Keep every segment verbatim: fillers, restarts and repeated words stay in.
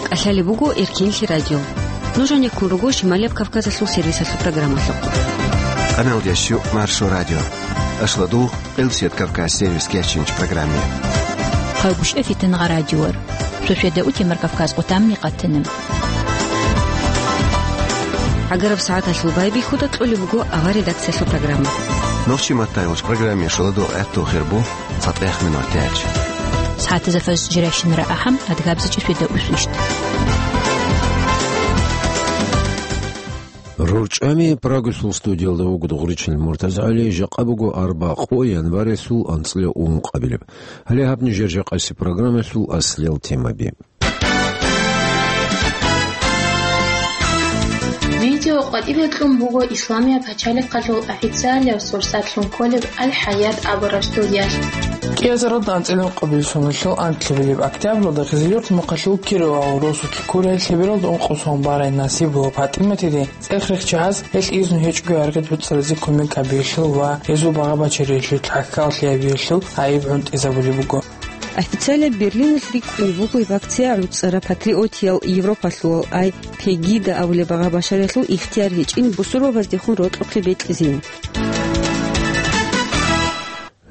КӀалъалеб буго Эркенлъи радио. Нуж гьанеккун руго Шималияб Кавказалъул сервисалъул программалъухъ. Къаналдящу Маршо радио. Ашладу Къилсият Кавказ сервис кечинч программе. Хъалгушев Фитнагъа радиор. Сосведа утемар Кавказ къутамни къатинаб. ГӀагараб сагӀаталъул байбихьуда кьолеб буго авар редакциялъул программа. Нохчи маттайолч программе шаладу гӀатту хирбу. ЦатӀех минут тяч. СагӀатазда фаз жиращинара ахӀам, адгабзичӀи светда усвищ. РорчӀами Прагасул студиялда вуго Дугъричил МуртазагӀали, жакъа буго арбакъо январилъул анцӀила ункъабилеб. Гьале гьаб нижер жакъаси программалъул аслиял темаби. Видео къватӀибе кьун буго Исламияб пачалихъалъул официалияб сурсатлъун кколеб Аль-Хаят абураб студиялъ. КӀиазаралда анцӀила ункъабилеб соналъул анлъабилеб октябралда Хизиюрт мухъалъул Кировал росулъ ккурай лъебералда ункъо сон барай Насибова ПатӀиматиде цӀех-рех чагӀаз гьелъ изну гьечӀого аргъи гӀуцӀаразе кумек гьабиялъул ва гьезул багъа-бачариялъул, тӀахьал лъиябиялъул гӀайиб гӀунтӀизабулеб буго. Официалияб Берлиналъ рикӀкӀунеб буго гьеб акция гӀуцӀараб патриотиял Европалъулал ай Пегида абулеб багъа-башариялъул ихтияр гьечӀин бусурбабаздехун рокьухъе бекьизин.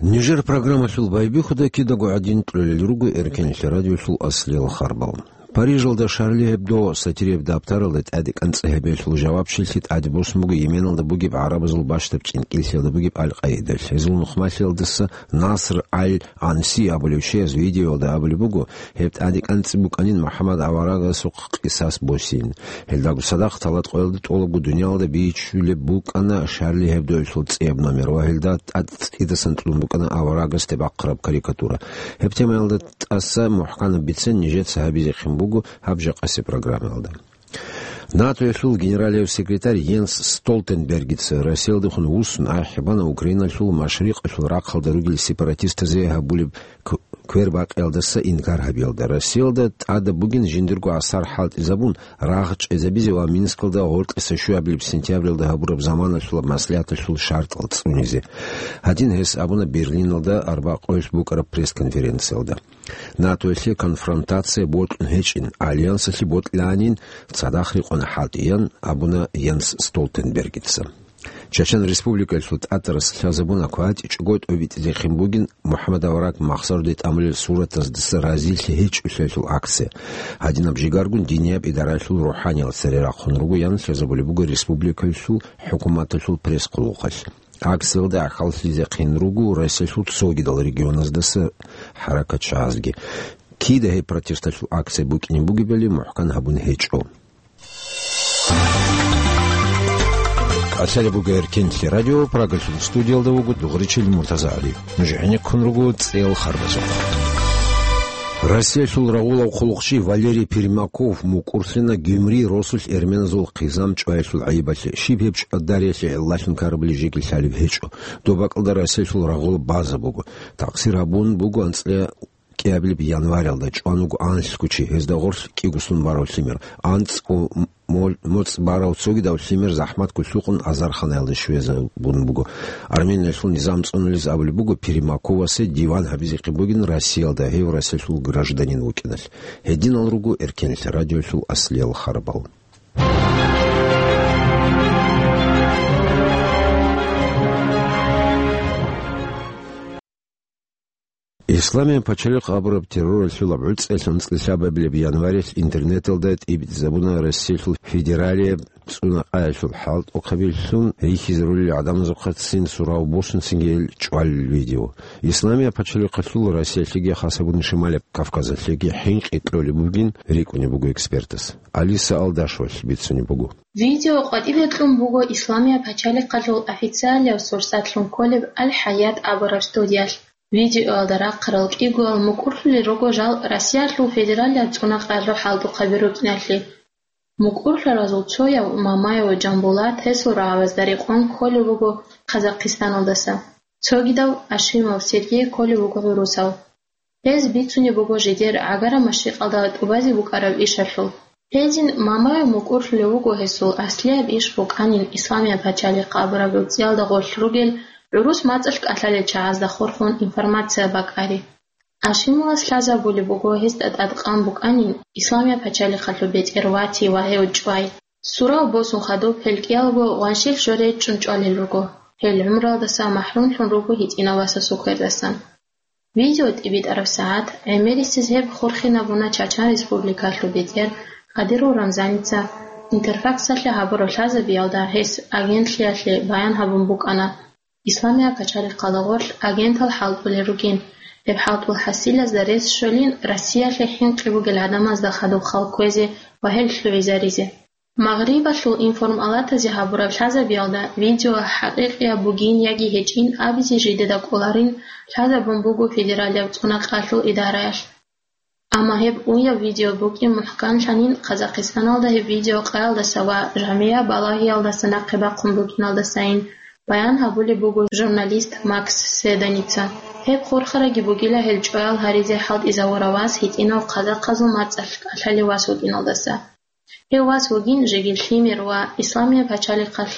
Нижер программалъул байбихьуда кидаго гӀадин кьолел руго Эркенлъи радиолъул аслиял харбал. Парижалда Шарли Гьебдо сатирияб даптаралда тӀаде кӀанцӀ гьабиялъул жавабчилъи тӀаде босун буго Йеменалда бугеб гӀарабазул бащдаб чӀинкӀиллъиялда бугеб Аль-Къаидалъ. Гьезул нухмалъиялдаса Наср Аль-Анси абулев чияс видеоялда абулеб буго, гьеб тӀаде кӀанцӀи букӀанин МухӀаммад аварагасухъ къисас босин. Гьелдаго цадахъ талат къоялда тӀолабго дуниялалда бичулеб букӀана Шарли Гьебдоялъул цӀияб номер ва гьелда тӀад цӀидасан кьун букӀана аварагасде бахъараб карикатура. Гьеб темаялда тӀаса мухӀканаб бицен нижеца гьабизехъин буго гьаб жакъаси программаялда. НАТОялъул генералияв секретарь Йенс Столтенбергица Россиялдехун вуссун ахӀи бана Украиналъул машрикъалъул рахъалда ругел сепаратистазе гьабулеб к-, квербакъиялдаса инкар гьабиялда. Россиялда тӀадаб бугин жиндирго асар хӀалтӀизабун, рагъ чӀезабизе ва Минскалда гъоркьиса щуабилеб сентябралда гьабураб заманалъулаб маслигӀаталъул шартӀал цӀунизе. Гьадин гьес абуна Берлиналда арбакъоялъ букӀараб пресс-конференциялда. НАТОялъе конфронтация бокьун гьечӀин, альянсалъе бокьанин цадахъ рекъон хӀалтӀиян, абуна Йенс Столтенбергица. Чечен Республикалъул тӀатарас лъазабуна кватӀичӀого тӀобитӀизехъин бугин МухӀаммад авараг махсаруде тӀамулел суратаздаса разилъи гьечӀолъиялъул акция. Гьадинаб жигаргун динияб идараялъул рухӀаниялъ цере рахъун руго ян лъазабулеб буго республикалъул хӀукуматалъул пресс-хъулухъалъ. Акциялда гӀахьаллъизехъин руго Россиялъул цогидал регионаздаса хӀаракатчагӀазги. Кида гьеб протесталъул акция букӀине бугебали мухӀкан гьабун гьечӀо. КӀалъалеб буго Эркенлъи радио, Прагалъул студиялда вуго Дугъричил МуртазагӀали. Нуж гӀенеккун руго цӀел харбазухъ. Россиялъул рагъулав хъулухъчи Валерий Пермяков мукӀурлъина Гюмри росулъ эрменазул хъизан чӀваялъул гӀайибалъе. Щиб гьеб чӀвадариялъе гӀиллалъун ккарабали жеги лъалеб гьечӀо. Доб бакӀалда Россиялъул рагъулаб база буго. Такъсир гьабун буго анцӀила кӀиабилеб январалда, чӀван вуго анлъго чи, гьезда гъорлъ кӀигослъун барав лъимер. АнцӀго мо-, моцӀ барав цогидав лъимер захӀматго лъукъун азарханаялда щвезабун буго. Армениялъул низам цӀунулез абулеб буго, Пермяковасе диван гьабизехъин бугин Россиялда, гьев Россиялъул гражданин вукӀиналъ. Гьединал руго Эркенлъи радиолъул аслиял харбал. Исламияб пачалихъ абураб терроралъул гӀуцӀиялъ анцӀила лъабабилеб январилъ интернеталда тӀибитӀизабуна Россиялъул федералияб цӀунакъаялъул хӀалтӀухъабилъун рихьизарулел гӀадамазухъацин сурав босун цинги гьел чӀвалел видео. Исламияб пачалихъалъул Россиялъеги, хасабун Шималияб Кавказалъеги хӀинкъи кьолеб бугин рикӀкӀунеб буго экспертас. Алиса Алдашевалъ бицунеб буго. Видео къватӀибе кьун буго Исламияб пачалихъалъул официалияб сурсатлъун кколеб Аль-Хаят абураб студиялъ. Видеоялда рахъарал кӀигоял мукӀурлъулел руго жал Россиялъул федералияб цӀунакъаялъул хӀалтӀухъаби рукӀиналъе. МукӀурлъаразул цояв Мамаев Жамбулат гьесул рагӀабазда рекъон кколев вуго Казахстаналдаса. Цогидав Ашимов Сергей кколев вуго гӀурусав. Гьез бицунеб буго жидер гӀагараб машрикъалда тӀубазе букӀараб ишалъул. Гьедин Мамаев мукӀурлъулев вуго гьесул аслияб иш букӀанин Исламияб пачалихъ абураб гӀуцӀиялда гъорлъ ругел гӀурус мацӀалъ кӀалъалел чагӀазда хурхун информация бакӀари. Ашимовас лъазабулеб буго гьесда тӀадкъан букӀанин Исламияб пачалихъалъул бетӀер вати ва гьев чӀвай. Сурав босун хадуб, гьел кӀиялго гъваншил жо речӀчӀун чӀвалел руго. Гьел гӀумруялдаса махӀрумлъун руго гьитӀинав васасул квердасан. Видео тӀибитӀараб сагӀат гӀемерисез гьеб хурхинабуна Чачан Республикалъул бетӀер Кадиров Рамзаница. Интерфаксалъе гьабураб лъазабиялда гьес агентлъиялъе баян гьабун букӀана, Исламияб пачалихъалда гъорлъ агентал хӀалтӀулел ругин. Гьеб хӀалтӀул хӀасилазда рес щолин Россиялъе хӀинкъи бугел гӀадамазда хадуб хал кквезе ва гьел лъугӀизаризе. Магърибалъул информалатазе гьабураб лъазабиялда видео хӀакъикъияб бугин яги гьечӀин абизе жидеда кӀоларин лъазабун буго федералияб цӀунакъалъул идараялъ. Амма гьеб уяв видео букӀин мухӀканлъанин Казахстаналда гьеб видео къаялдаса ва жамигӀа балагьиялдаса нахъе бахъун букӀиналдасайин баян гьабулеб буго журналист Макс Седаница. Гьеб хурхараги бугила гьел чӀваял гьаризе хӀалтӀизавурав вас гьитӀинав казахъазул мацӀалъ кӀалъалев вас вукӀиналдаса. Гьев вас вугин жеги лъимер ва Исламияб пачалихъалъ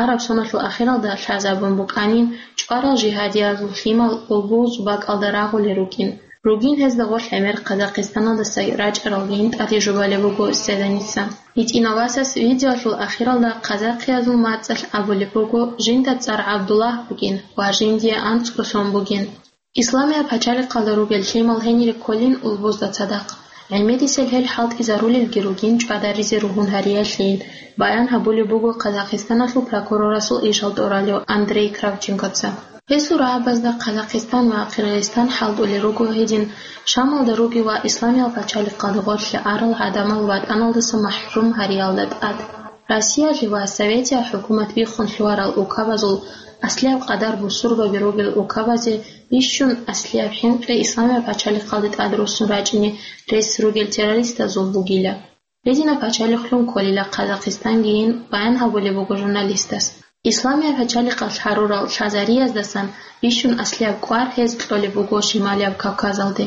араб соналъул ахиралда лъазабун букӀанин, чӀварал жигьадиязул лъимал улбуз бакӀалда рагъулел рукӀин. Ругин гьезда гъорлъ гӀемер Казахстаналдаса рачӀаралгин тӀаде жубалеб буго Седаница. ГьитӀинав васас видеолъул ахиралда казахъиязул мацӀалъ абулеб буго, жинда цӀар ГӀабдуллагь букӀин ва жиндие анцӀго сон бугин. Исламияб пачалихъалда ругел лъимал гьенире кколин улбузда цадахъ. ГӀемерисел гьел хӀалтӀизарулелги ругин чӀвадаризе ругьун гьариялъейин, баян гьабулеб буго Казахстаналъул прокурорасул ишал тӀуралев Андрей Кравченкоца. Гьесул рагӀабазда Казахстан ва Кьиргизстан хӀалтӀулел руго гьедин, Шамалда ругел ва Исламияб пачалихъалда гъорлъе арал гӀадамал ватӀаналдаса махӀрум гьариялда тӀад. Россиялъе ва Советиял хӀукумат биххун лъугьарал укабазул аслияб къадар бусурбаби ругел укабазе бищун аслияб хӀинкъи Исламияб пачалихъалде тӀад руссун рачӀине рес ругел террористазул бугила. Гьединаб пачалихълъун кколила Казахстангийин баян гьабулеб буго журналистас. Исламияб пачалихъалъ гьарурал лъазариздасан бищун аслияб кӀвар гьез кьолеб буго Шималияб Кавказалде.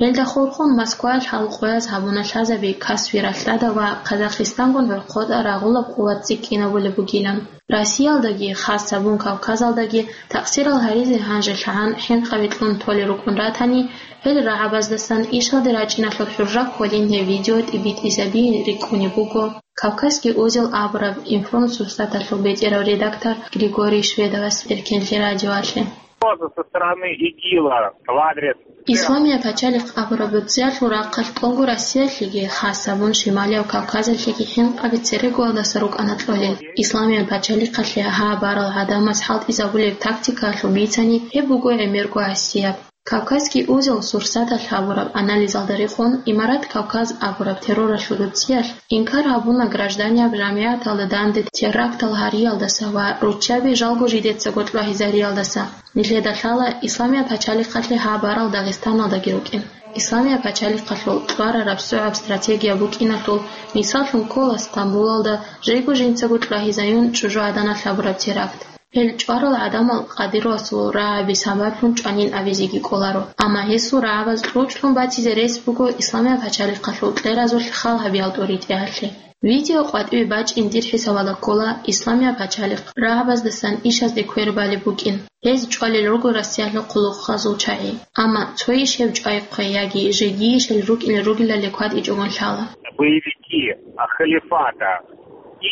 Гьелда хурхун Москваялъ гьал къояз гьабуна лъазаби Каспи ралъдада ва Казахстангун гӀорхъода рагъулаб къуват цӀикӀкӀинабулеб бугилан. Россиялдаги, хас гьабун Кавказалдаги такъсирал гьаризе гьанже лъагӀан хӀинкъаби кьун толел рукӀун ратани, гьел рагӀабаздасан ишалде рачӀиналъул хӀурра кколин гьеб видео тӀибитӀизабизе рикӀкӀунеб буго «Кавказский узел» абураб информсурсаталъул бетӀерав редактор Григорий Шведовас Эркенлъи радиоялъе. Угроза со стороны ИГИЛа в адрес... Исламияб пачалихъ абураб дуцӀиялъул рахъалъ тӀолго Россиялъеги, хас гьабун Шималияб Кавказалъеги хӀинкъаби церегоялдаса рукӀана кьолел. Исламияб пачалихъалъе гьаб барал гӀадамаз хӀалтӀизабулеб тактикаялъул бицани гьеб буго гӀемерго гӀасияб. «Кавказский узел» сурсаталъ гьабураб анализалда рекъон, Имарат Кавказ абураб терроралъул дуцӀиялъ инкар гьабуна гражданияб жамигӀаталда данде терактал гьариялдаса ва руччаби жалго жидецаго кьвагьизариялдаса. Нилъеда лъала Исламияб пачалихъалъе гьаб барал Дагъистаналдаги рукӀин. Исламияб пачалихъалъул кьварараб сугӀаб стратегия букӀиналъул мисаллъун ккола Стамбулалда жего жинцаго кьвагьизаюн чӀужугӀаданалъ гьабураб теракт. Гьел чӀварал гӀадамал Кадыровасул рагӀаби сабаблъун чӀванин абизеги кӀоларо, амма гьесул рагӀабаз кьучӀлъун батизе рес буго Исламияб пачалихъалъул кьеразулъ хал гьабиял тӀуритӀиялъе. Видео къватӀиве бачӀин дир хӀисабалда ккола Исламияб пачалихъ рагӀабаздасан ишазде квер балеб букӀин. Гьез чӀвалел руго Россиялъул хъулухъазул чагӀи. Амма цойищ гьев чӀвайхъе яги жегийищ гьел рукӀине ругелали кватӀичӀогун лъала. Боевики, а, халифата.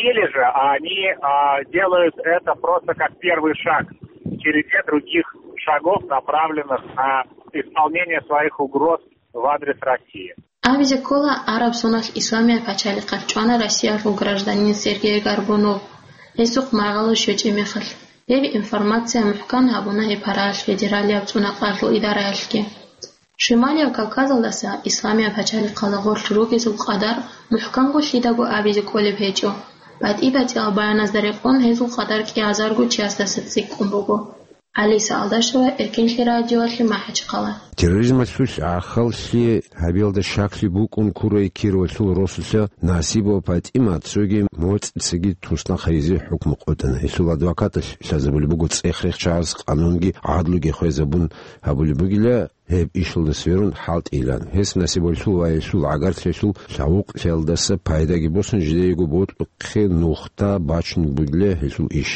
Или же они, а, делают это просто как первый шаг в череде других шагов, направленных на исполнение своих угроз в адрес России. Абизе ккола, араб соналъ Исламияб пачалихъалъ чӀвана Россиялъул гражданин Сергей Горбунов, гьесухъ маргӀалъур щвечӀеб мехалъ. Гьеб информация мухӀкан гьабуна гьеб параялъ федералияб цӀунакъалъул идараялъги. Шималияб Кавказалдаса Исламияб пачалихъалда гъорлъ ругезул къадар мухӀканго лъидаго абизе кӀолеб гьечӀо. БатӀи-батӀиял баяназда рекъон гьезул къадар кӀиазарго чиясдаса цӀикӀкӀун буго. Алиса Алдашева, Эркенлъи радиоялъе, МахӀачхъала. Терроризмалъулъ гӀахьаллъи гьабиялда щаклъи букӀун ккурай Кировалъул росулъа Насибова ПатӀимат цоги моцӀицаги туснахъ гьаризе хӀукму къотӀана. Гьелъул адвокаталъ лъазабулеб буго, цӀех-рех чагӀаз къанунги гӀадлуги хвезабун гьабулеб бугила гьеб ишалда сверун хӀалтӀилан. Гьес Насибовалъул ва гьелъул гӀагарлъиялъул лъавукълъиялдаса пайдаги босун, жидеего бокьухъе нухда бачун бугила гьелъул иш.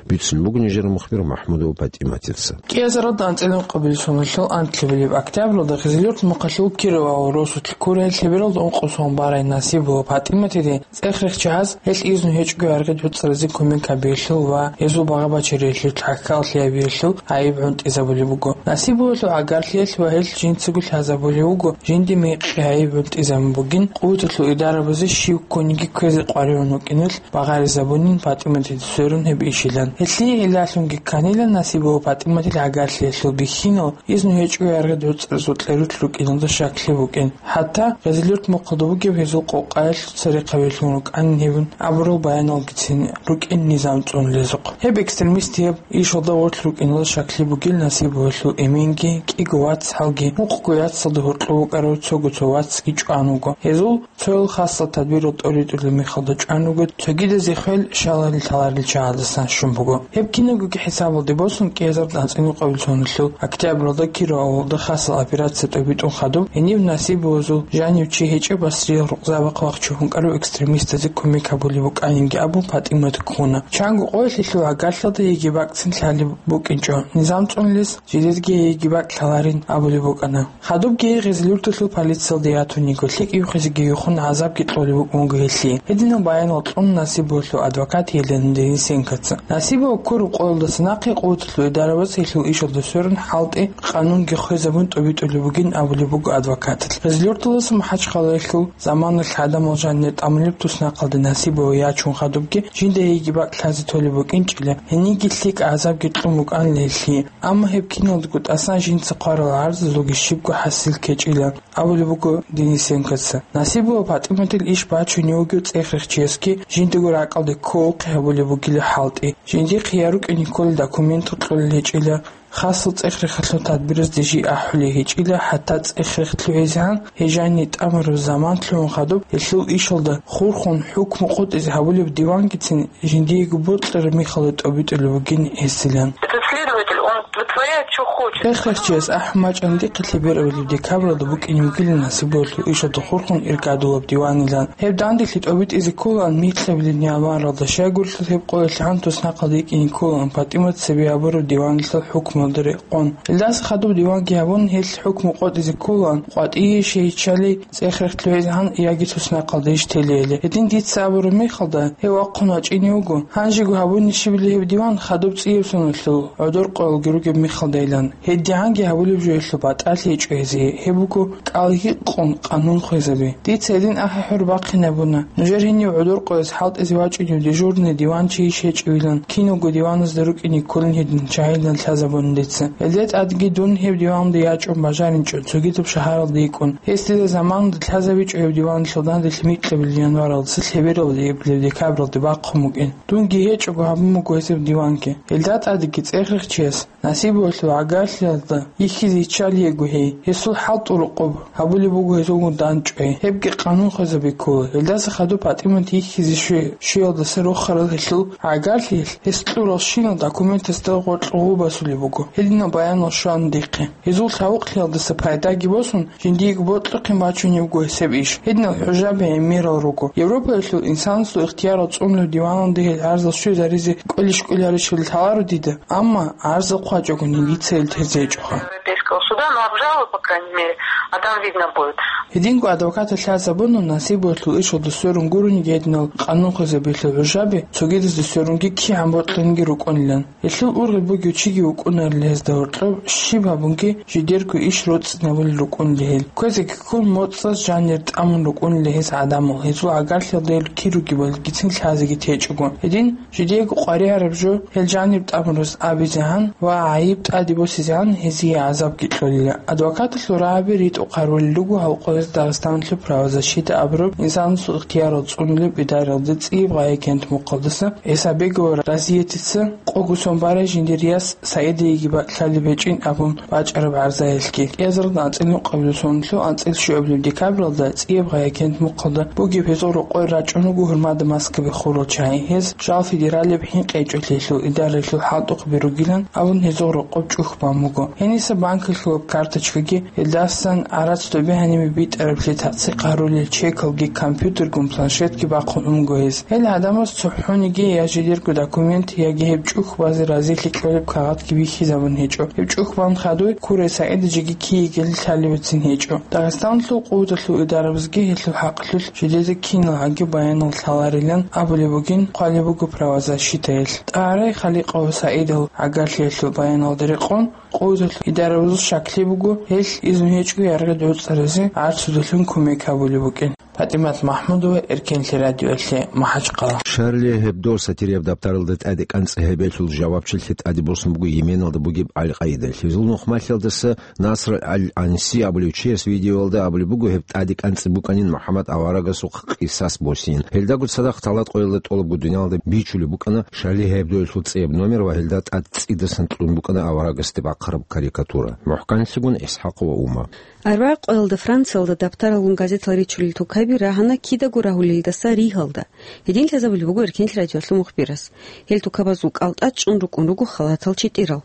Бицун буго нижер мухбир МахӀмудова ПатӀиматица. КӀиазаралда анцӀила ункъабилеб соналъул анлъабилеб октябралда Гъизилюрт мухъалъул Киров аварагасулъ ккурай лъебералда ункъо сон барай Насибова ПатӀиматиде цӀех-рехчи гьаз, гьелъ изну гьечӀого гӀергъи-гӀуцӀразе кумек гьабиялъул ва гьезул багъа-бачариялъул, тӀахьаллъи гьабиялъул гӀайиб гӀунтӀизабулеб буго. Насибовалъул гӀагарлъиялъ ва гьелъ жинцаго лъазабулеб буго, жинде мекъи гӀайиб гӀунтӀизабун бугин, къуваталъул идарабазе щив ккониги кквезе къваригӀун вукӀиналъ багъаризабунин ПатӀиматида сверун гьеб ишилан. Гьелъие гьелдалъунги кканила Насибова ПатӀиматил гӀагарлъиялъул бихьинал, изну гьечӀого гӀергъи-гӀуцӀразул кьерулъ рукӀиналда щаклъи букӀин. ХӀатта Гъизилюрт мухъалда бугеб гьезул къокъаялъуца рехъ гьабилъун рукӀанин гьеб абурал баяналгицин рукӀин низам цӀунулезухъ. Гьеб экстремистияб ишалда гъорлъ рукӀиналда щаклъи бугин Насибовалъул эменги, кӀиго вацгӀалги, мухъго яцалда гьоркьов вукӀарав цого цо вацги чӀван вуго. Гьезул цоял хасал тадбирал тӀоритӀулеб мехалда чӀван вуго, цогидазе хвел шаларил-лъаларил чагӀаздасан щун буго. Гьеб кинабгоги хӀисабалде босун, кӀиазарда анцӀила ункъабилеб соналъул октябралда Киров авалалда хасал операция тӀобитӀун хадуб, гьениб Насибовазул жанив чи гьечӀеб Басриял рукъзабахъ вахчун вукӀарав экстремистазе кумек гьабулеб букӀанинги абун ПатӀимат ккуна. Чанго къоялъ гьелъул гӀагарлъиялда йигей бакӀцин лъалеб букӀинчӀо, низам цӀунулес жидерги йигей бакӀ лъаларин абулеб букӀана. Хадубги гьей Гъизилюрталъул полициялде ятун йиго, лъикӀ юхизеги юхун гӀазабги кьолеб букӀун буго гьелъие. Гьединал баянал кьун Насибовалъул адвокат Елена Денисенкоца. Насибова ккураб къоялдаса нахъе къуваталъул идарабаз гьелъул ишалда сверун хӀалтӀи, къанунги хвезабун тӀобитӀулеб бугин абулеб буго адвокаталъ. Гъизилюрталдаса МахӀачхъалаялъул заманалъ гӀадамал жанир тӀамулеб туснахъалде Насибова ячун хадубги, жинда йигей бакӀ лъазе толеб букӀинчӀила, гьениги лъикӀ гӀазабги кьун букӀанила гьелъие. Амма гьеб киналдаго тӀасан жинца хъварал гӀарзазулги щибго хӀасил ккечӀила, абулеб буго Денисенкоца. Насибова ПатӀиматил иш бачунев вугев цӀех-рехчиясги жиндаго ракӀалде кколеб гьабулеб бугила хӀалтӀи. Жиндихъе я рукӀине кколел документал кьолел гьечӀила, хасал цӀех-рехалъул тадбиразде жий ахӀулей гьечӀила, хӀатта цӀех-рех лъугӀизегӀан гьей жанир тӀамураб заман лъугӀун хадуб, гьелъул ишалда хурхун хӀукму къотӀизе гьабулеб дивангицин жиндиего бокьараб мехалда тӀобитӀулеб бугин гьесилан. Этот следователь, он вытворяет, чё хочет. ЦӀех-рехчияс ахӀун бачӀани дихъе лъеберабилеб декабралда букӀине бугила Насибовалъул ишалда хурхун иргадулаб диванилан. Гьеб данделъи тӀобитӀизе кколаан микьабилеб январалда, щайгурелъул гьеб къоялъ гьаниб туснахъалде йикӀине кколаан ПатӀимат цебе гьабураб диваналъул хӀукмуялда рекъон. Илдаса хадуб диванги гьабун, гьелъ хӀукму къотӀизе кколаан, къватӀие щей иччалей цӀех-рех лъугӀизегӀан яги туснахъалде иш телейилан. Гьедин дица абураб мехалда, гьев вахъун вачӀине вуго. Гьанжего гьабуни щибилеб гьеб диван хадуб цӀияб соналъул гӀодор къоялги ругеб мехалдайилан. ГьедигӀанги гьабулеб жо гьелъул батӀалъи гьечӀо гьезие, гьеб буго кӀал гьикъун къанун хвезаби. Дица гьедин ахӀи-хӀур бахъинабуна. Нужер гьенив гӀодор къояз хӀалтӀизе вачӀинев дежурный диванчийищ гьечӀевилан, киналго диваназда рукӀине кколин гьедин чагӀилан лъазабуна дица. Гьелда тӀадги дун гьеб диванде ячӀун бажаринчӀо цогидаб шагьаралда йикӀун. Гьес дида заманалда лъазабичӀо гьеб диваналъул данделъи микьабилеб январалдаса лъебералде эбелеб декабралде бахъун букӀин. Дунги гьечӀого гьабун буго гьезул диванги. Гьелда тӀадги цӀех-рехчияс Насибовалъул гӀагарлъиялда йихьизе йиччалиего гьей, гьесул хӀалтӀул рокъоб гьабулеб буго гьезулгун дандчӀвай, гьебги къанун хвезаби ккола. Гьелдаса хадуб ПатӀимат йихьизе щвей, щвеялдаса рохарал гьелъул гӀагарлъиялъ гьес кьуралщинал документазда гъоркь гъу басулеб буго. Гьединал баянал щвана дихъе. Гьезул лъавукълъиялдаса пайдаги босун, жиндиего бокьухъин бачунеб буго гьесеб иш. Гьединал хӀужаби гӀемерал руго. Европаялъул инсанасул ихтиярал цӀунулеб диваналде гьел гӀарзал щвезаризе кӀвелищ-кӀвеларищали лъаларо дида, амма гӀарзал хъвачӀогони дица гьел тезе гьечӀоха. Европейского суда, ну, обжалуй, по крайней мере, а там видно будет. Гьединго адвокаталъ лъазабуна, Насибовалъул ишалда сверун гурониги гьединал къанун хвезабиялъул хӀужаби цогидазда сверунги кигӀан бокьунги рукӀунилан. Гьелъул ургъел бугев чиги вукӀунарила гьезда гьоркьоб, щиб гьабунги жидерго иш роцӀцӀинабулел рукӀунила гьел. Кквезеги ккун, моцӀаз жанир тӀамун рукӀунила гьез гӀадамал, гьезул гӀагарлъиялда гьел кир ругебали гицин лъазеги течӀого. Гьедин, жидеего къваригӀараб жо гьел жаниб тӀамураз абизегӀан ва гӀайиб тӀаде босизегӀан гьезие гӀазабги кьолила. Адвокаталъул рагӀаби ритӀухъ гьарулел руго гьал къоялъ Дагъистаналъул правозащита абураб инсанасул ихтиярал цӀунулеб идараялда ЦӀияб гъай-агент мухъалдаса ГӀисабегова Разиятица къого сон барай жиндир яс Саидайиги бакӀ лъалеб гьечӀин абун бачӀараб гӀарзаялъги. КӀиазаралда анцӀила ункъабилеб соналъул анцӀила щуабилеб декабралда ЦӀияб гъай-агент мухъалда бугеб гьезул рокъой рачӀун руго гьурмада маскаби хурал чагӀи. Гьез жал федералияб хӀинкъи гьечӀолъиялъул идараялъул хӀалтӀухъаби ругилан абун гьезул рокъоб чӀухь бан буго. Гьениса банкалъулаб карточкаги гьелдасан гӀарац доби гьаниме БитӀараблъи тацӀцӀихъ гьарулел чекалги компьютергун планшетги бахъун унго гьез. Гьел гӀадамаз цохӀониги я жидерго документ, яги гьеб чӀухь базе разилъи кьолеб кагъатги бихьизабун гьечӀо. Гьеб чӀухь бан хадуй Курай СагӀида жеги киегели лъалебецин гьечӀо. Дагъистаналъул къуваталъул идарабазги гьелъул хӀакъалъулъ жидеда киналгӀаги баянал лъаларилан абулеб бугин хъвалеб буго правозащитаялъ. ТӀагӀарай Халикъов СагӀидал гӀагарлъиялъул баяналда рекъон, къуваталъул идарабазул щаклъи буго, гьелъ изну гьечӀо яргъи дурцӀаразе гӀарцудалъун кумек гьабулеб букӀин. ПатӀимат МахӀмудова, Эркенлъи радиоялъе, МахӀачхъала. Шарли Гьебдо сатирияб дабтаралда тӀаде кӀанцӀи гьебелъул жавабчилъи тӀаде босун буго Йеменалда бугеб Аль-Къаидалъ. Гьезул нухмалъиялдаса Наср Аль-Анси абулев чияс видеоялда абулеб буго, гьеб тӀаде кӀанцӀи букӀанин МухӀаммад аварагасухъ къисас босин. Гьелдаго цадахъ талат къоялда тӀолабго дуниялалда бичулеб букӀана Шарли Гьебдоялъул цӀияб номер ва гьелда тӀад цӀидасан кьун букӀана аварагасде бахъараб карикатура. МухӀканлъигун ИсхӀакъова Ума. Арбагъ къоялда Франциялда дабтаралгун газетал ричулел тукаби рагьана кидаго рагьулелдаса Ригьалда. Гьедин лъазабулеб буго Эркенлъи радиоялъул мухбирас. Гьел тукабазул кӀалтӀа чӀун рукӀун руго халатал читӀирал.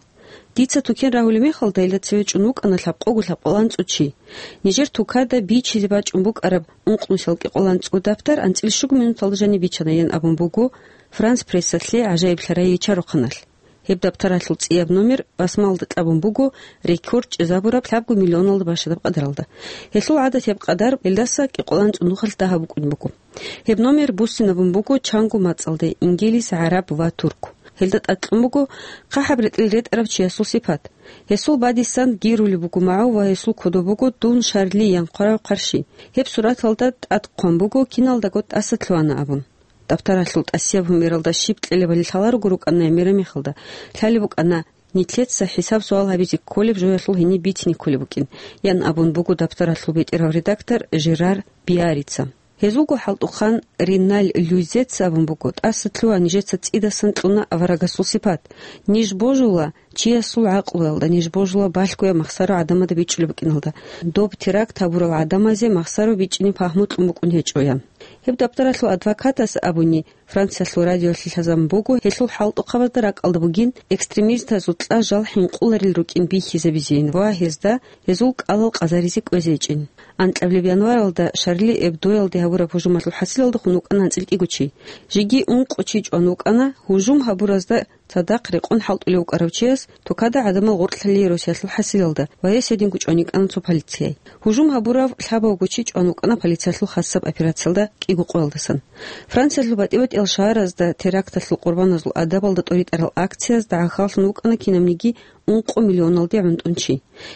Дица тукен рагьулеб мехалда, гьелда цеве чӀун вукӀана лъабкъого лъабкъоланцӀу чи. Нижер тукада бичизе бачӀун букӀараб ункънусиялда кӀикъоланцӀу дабтар анцӀила щуго минуталда жаниб бичана, ян абун буго Франс Прессалъе гӀажаиблъарай ичарухъаналъ. Гьеб дабтаралъул цӀияб номер басмалда кьабун буго рекорд чӀезабураб лъабго миллионалда бащадаб къадаралда. Гьелъул гӀадатияб къадар гьелдаса кӀикъоланцӀу нухалъ дагьаб букӀун буго. Гьеб номер буссинабун буго чанго мацӀалде: ингилис, гӀараб ва турк. Гьелда тӀад кьун буго хъахӀаб ретӀел ретӀарав чиясул сипат. Гьесул бадисан гирулеб буго магӀу ва гьесул кодоб буго «Дун Шарли» ян хъварав хъарщи. Гьеб сураталда тӀад хъван буго киналдаго тӀаса лъугьана абун. Дабтаралъул тӀасияб гьумералда щиб кьелебали лъаларого рукӀана гӀемераб мехалда, лъалеб букӀана нилъеца хӀисаб-суал гьабизе кколеб жоялъул гьениб бицине кколеб букӀин, ян абун буго дабтаралъул бетӀерав редактор Жерар Биарица. Гьезулго хӀалтӀухъан Риналь Люйзеца абун буго: «ТӀаса лъугьа, нижеца цӀидасан кьуна аварагасул сипат. Ниж божула чиясул гӀакълуялда, ниж божула балъгояб махсаро гӀадамазда бичӀчӀулеб букӀиналда. Доб теракт гьабурал гӀадамазе махсаро бичӀчӀине пагьму кьун букӀун гьечӀо», – ян. Гьеб дабтаралъул адвокатас абуни, Франциялъул радиоялъе лъазабун буго гьелъул хӀалтӀухъабазда ракӀалда бугин экстремистазул кьа жал хӀинкъуларел рукӀин бихьизабизейин ва гьезда гьезул кӀалал къазаризе кӀвезейчӀин. Анкьабилеб январалда Шарли Эбдоялде гьабураб гьужумалъул хӀасилалдехун вукӀана анцӀила кӀиго чи. Жеги ункъо чи чӀван вукӀана гьужум гьабуразда цадахъ рекъон хӀалтӀулев вукӀарав чияс тукада гӀадамал гъоркьлъалие росиялъул хӀасилалда ва гьес гьединго чӀван йикӀана цо полицияй. Гьужум гьабурав лъабавго чи чӀван вукӀана полициялъул хасаб операциялда кӀиго къоялдасан. Франциялъул батӀи-батӀиял шагьаразда теракталъул къурбаназул адабалда тӀоритӀарал акциязда гӀахьаллъун вукӀана кинабниги ункъо миллионалде гӀунтӀун чи.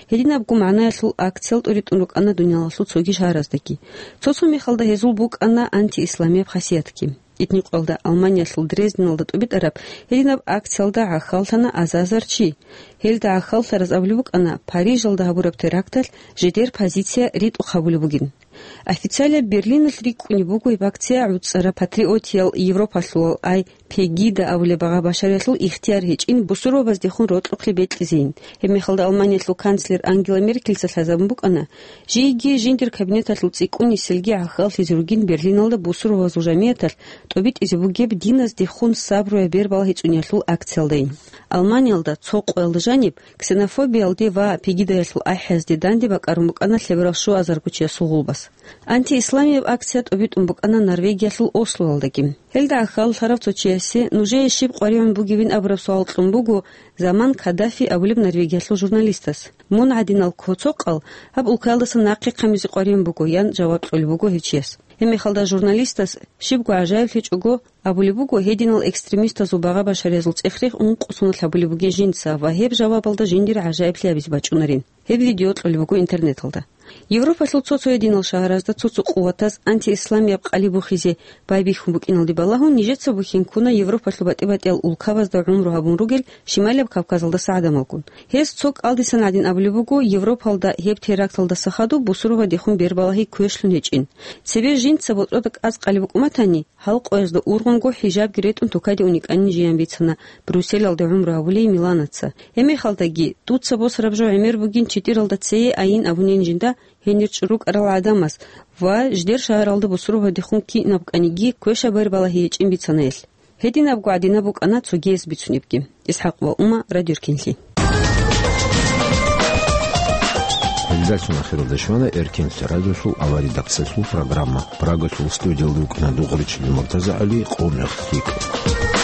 Гьединабго магӀнаялъул акциял тӀоритӀун рукӀана дуниялалъул цоги шагьараздаги. Цо-цо мехалда гьезул букӀана антиисламияб хасиятги. Итни къоялда Алманиялъул Дрезденалда тӀубитӀараб гьединаб акциялда гӀахьаллъана азар-азар чи. Гьелда гӀахьаллъараз абулеб букӀана Парижалда гьабураб теракталъ жидер позиция ритӀухъ гьабулеб бугин. Официалияб Берлиналъ рикӀкӀунеб буго гьеб акция гӀуцӀараб патриотиял Европалъулал ай Пегида абулеб багъа-башариялъул ихтияр гьечӀин бусурбабаздехун рокьухълъи бекьизейин. Гьеб мехалда Алманиялъул канцлер Ангела Меркельца лъазабун букӀана, жийги жиндир кабинеталъул цӀикӀкӀуниселги гӀахьаллъизе ругин Берлиналда бусурбабазул жамигӀаталъ тӀубитӀизе бугеб диназдехун сабруяб бер балагьичӀуниялъул акциялдайин. Алманиялда цо къоялда жаниб ксенофобиялде ва пегидаялъул ахӀиязде данде бакӀарун букӀана лъеберал щуазарго чиясул гъулбас. Антиисламияб акция тӀубитӀун букӀана Норвегиялъул Ослоялдаги. Гьелда гӀахьаллъарав цо чиясе нужее щиб къваригӀун бугебин абураб суал кьун буго заман Каддафи абулеб Норвегиялъул журналистас. Мун гӀадинал ккоцокъал гьаб улкаялдаса нахъе хъамизе къваригӀун буго, ян жаваб кьолеб буго гьев чияс. Гьебмехалда журналистас щибго гӀажаиблъичӀого абулеб буго, гьединал экстремистазул багъа-башариязул цӀех-рех ункъо соналъ гьабулеб бугин жинца ва гьеб жавабалда жиндир гӀажаиблъи абизе бачӀунарин. Гьеб видео кьолеб буго интернеталда. Европалъул цо-цо гьединал шагьаразда цо-цо къуватаз антиисламияб къали бухизе байбихьун букӀиналде балагьун, нижеца бухьин ккуна Европалъул батӀи-батӀиял улкабазда гӀумру гьабун ругел Шималияб Кавказалдаса гӀадамалгун. Гьез цо кӀалдисан гӀадин абулеб буго, Европалда гьеб теракталдаса хадуб бусурбабаздехун бер балагьи квешлъун гьечӀин. Цебе жинца ботӀрода кӀаз къали букӀун батани, гьал къоязда ургъунго хӀижабги ретӀун тукаде уникӀанин жиян бицана Брюсселалде гӀумру гьабулей Миланаца. Гьебмехалдаги, дуца босараб жо гӀемер бугин читӀиралда цее айин абунин жинда гьенир чӀурукӀарал гӀадамаз ва жидер шагьаралда бусурбабаздехун кинаб кӀаниги квешаб бер балагьи гьечӀин бицана гьелъ. Гьединабго гӀадинаб букӀана цогияс бицунебги. ИсхӀакъ ва Ума, Радио Эркенлъи. Жалъун ахиралда щвана Эркин радиосул авария редакциялъул программа. Прагалъул студиялда вукӀана Дугъричилан МуртазагӀали, къо мех лъикӀ.